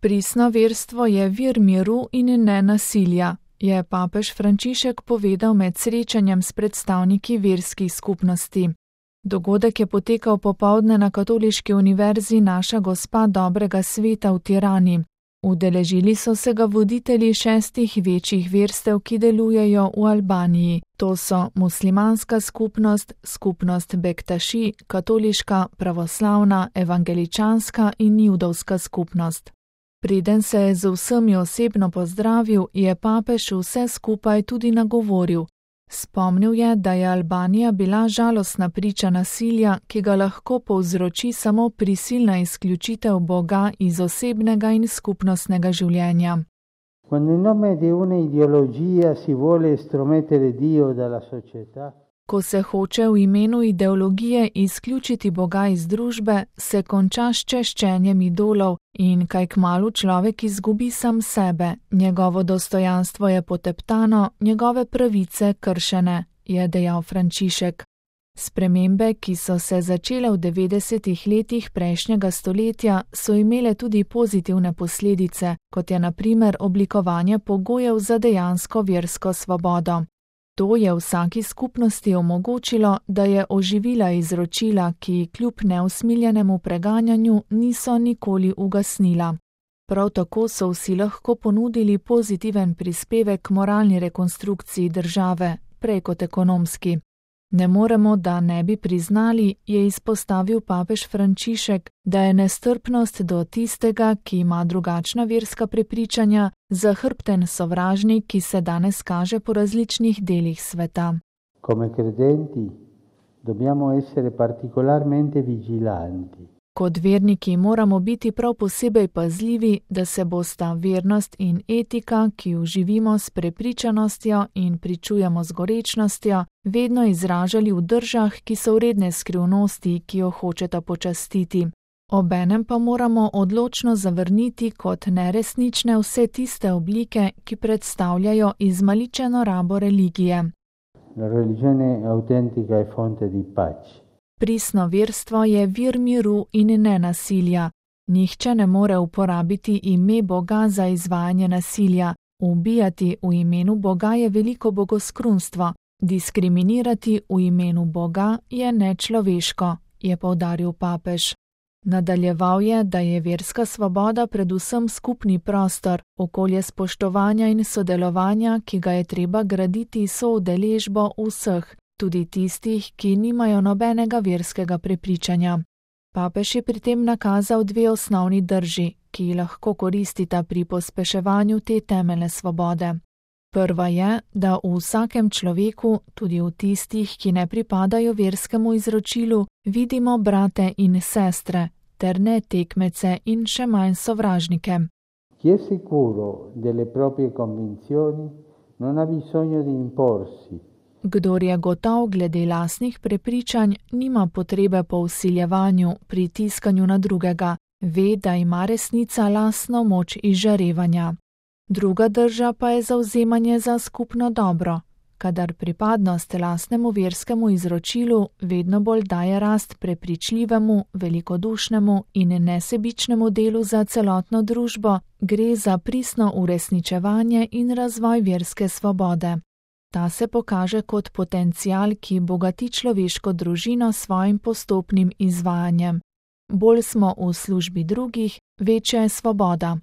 Pristno verstvo je vir miru in ne nasilja, je papež Frančišek povedal med srečanjem s predstavniki verskih skupnosti. Dogodek je potekal popoldne na Katoliški univerzi Naša Gospa dobrega sveta v Tirani. Udeležili so se ga voditelji 6 večjih verstev, ki delujejo v Albaniji. To so muslimanska skupnost, skupnost Bektaši, katoliška, pravoslavna, evangeličanska in judovska skupnost. Preden se je z vsemi osebno pozdravil, je papež vse skupaj tudi nagovoril. Spomnil je, da je Albanija bila žalostna priča nasilja, ki ga lahko povzroči samo prisilna izključitev Boga iz osebnega in skupnostnega življenja. Quando in nome di una ideologia si vuole estromettere Dio dalla società, ko se hoče v imenu ideologije izključiti Boga iz družbe, se konča s češčenjem idolov in kaj kmalu človek izgubi sam sebe, njegovo dostojanstvo je poteptano, njegove pravice kršene, je dejal Frančišek. Spremembe, ki so se začele v 90. letih prejšnjega stoletja, so imele tudi pozitivne posledice, kot je na primer oblikovanje pogojev za dejansko versko svobodo. To je vsaki skupnosti omogočilo, da je oživila izročila, ki kljub neusmiljenemu preganjanju niso nikoli ugasnila. Prav tako so vsi lahko ponudili pozitiven prispevek k moralni rekonstrukciji države, prej kot ekonomski. Ne moremo, da ne bi priznali, je izpostavil papež Frančišek, da je nestrpnost do tistega, ki ima drugačna verska prepričanja, zahrbten sovražnik, ki se danes kaže po različnih delih sveta. Come credenti dobbiamo essere particolarmente vigilanti. Kot verniki moramo biti prav posebej pazljivi, da se bosta vernost in etika, ki jo živimo s prepričanostjo in pričujemo z gorečnostjo, vedno izražali v držah, ki so vredne skrivnosti, ki jo hočeta počastiti. Obenem pa moramo odločno zavrniti kot neresnične vse tiste oblike, ki predstavljajo izmaličeno rabo religije. La religione autentica è fonte di pace. Pristno verstvo je vir miru in ne nasilja. Nihče ne more uporabiti ime Boga za izvajanje nasilja. Ubijati v imenu Boga je veliko bogoskrunstvo. Diskriminirati v imenu Boga je nečloveško, je poudaril papež. Nadaljeval je, da je verska svoboda predvsem skupni prostor, okolje spoštovanja in sodelovanja, ki ga je treba graditi soudeležbo vseh, tudi tistih, ki nimajo nobenega verskega prepričanja. Papež je pri tem nakazal 2 osnovni drži, ki lahko koristita pri pospeševanju te temeljne svobode. Prva je, da v vsakem človeku, tudi v tistih, ki ne pripadajo verskemu izročilu, vidimo brate in sestre, ter ne tekmece in še manj sovražnike. Chi è sicuro delle proprie convinzioni non ha bisogno di imporsi. Kdor je gotov glede lastnih prepričanj, nima potrebe po vsiljevanju, pritiskanju na drugega, ve, da ima resnica lastno moč izžarevanja. Druga drža pa je zavzemanje za skupno dobro, kadar pripadnost lastnemu verskemu izročilu vedno bolj daje rast prepričljivemu, velikodušnemu in nesebičnemu delu za celotno družbo, gre za pristno uresničevanje in razvoj verske svobode. Ta se pokaže kot potencial, ki bogati človeško družino s svojim postopnim izvajanjem. Bolj smo v službi drugih, večja je svoboda.